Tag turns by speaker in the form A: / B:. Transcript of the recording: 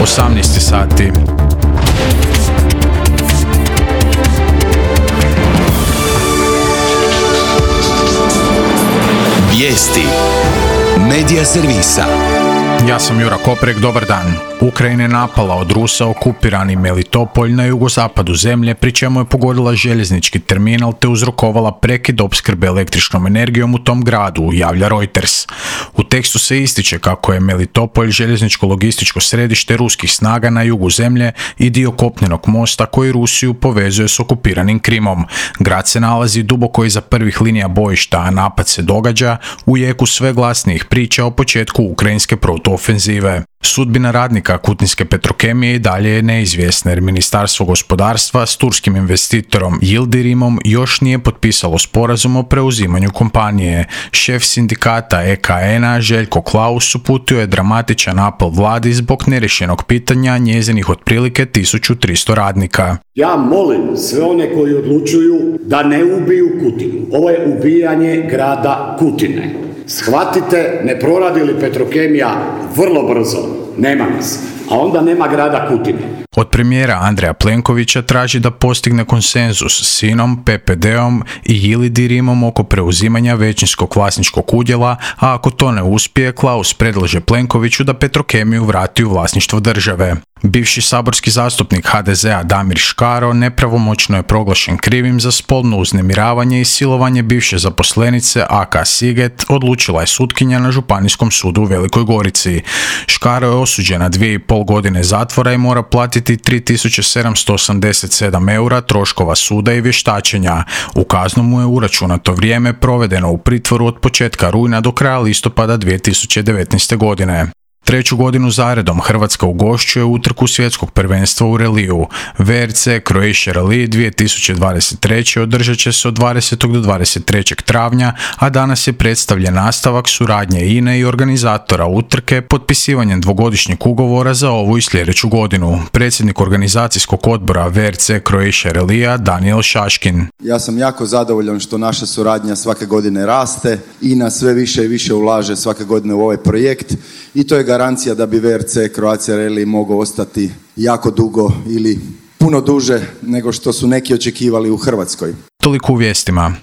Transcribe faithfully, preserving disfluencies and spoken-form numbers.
A: osamnaest sati.
B: Vijesti Medija servisa.
A: Ja sam Jura Koprek, dobar dan. Ukrajina je napala od Rusa okupirani Melitopolj na jugozapadu zemlje, pri čemu je pogodila željeznički terminal te uzrokovala prekid opskrbe električnom energijom u tom gradu, javlja Reuters. U tekstu se ističe kako je Melitopolj željezničko-logističko središte ruskih snaga na jugu zemlje i dio kopnenog mosta koji Rusiju povezuje s okupiranim Krimom. Grad se nalazi duboko iza prvih linija bojišta, a napad se događa u jeku sve glasnijih priča o početku ukrajinske protuofenzive. Sudbina radnika Kutinske Petrokemije i dalje je neizvjesna jer Ministarstvo gospodarstva s turskim investitorom Yildirimom još nije potpisalo sporazum o preuzimanju kompanije. Šef sindikata E K N-a Željko Klaus uputio je dramatičan apel vladi zbog nerješenog pitanja njezinih otprilike tisuću tristo radnika.
C: Ja molim sve one koji odlučuju da ne ubiju Kutinu. Ovo je ubijanje grada Kutine. Shvatite, ne proradi li Petrokemija vrlo brzo, nema nas, a onda nema grada Kutine.
A: Od premijera Andreja Plenkovića traži da postigne konsenzus s sinom, P P D-om i Yildirimom oko preuzimanja većinskog vlasničkog udjela, a ako to ne uspije, Klaus predlaže Plenkoviću da Petrokemiju vrati u vlasništvo države. Bivši saborski zastupnik H D Z-a Damir Škaro nepravomoćno je proglašen krivim za spolno uznemiravanje i silovanje bivše zaposlenice A K Siget, odlučila je sutkinja na Županijskom sudu u Velikoj Gorici. Škaro je osuđen na dvije i pol godine zatvora i mora platiti tri tisuće sedamsto osamdeset sedam eura troškova suda i vještačenja. U kaznu mu je uračunato vrijeme provedeno u pritvoru od početka rujna do kraja listopada dvije tisuće devetnaeste. godine. Treću godinu zaredom Hrvatska ugošćuje utrku svjetskog prvenstva u reliju. V R C Croatia Rally dvije tisuće dvadeset treće. održat će se od dvadesetog do dvadeset trećeg travnja, a danas je predstavljen nastavak suradnje I N E i organizatora utrke potpisivanjem dvogodišnjeg ugovora za ovu i sljedeću godinu. Predsjednik organizacijskog odbora V R C Croatia Rallya Daniel Šaškin.
D: Ja sam jako zadovoljan što naša suradnja svake godine raste, I N A sve više i više ulaže svake godine u ovaj projekt i to je garancija da bi V R C Croatia Rally mogao ostati jako dugo ili puno duže nego što su neki očekivali u Hrvatskoj.
A: Toliko u vijestima.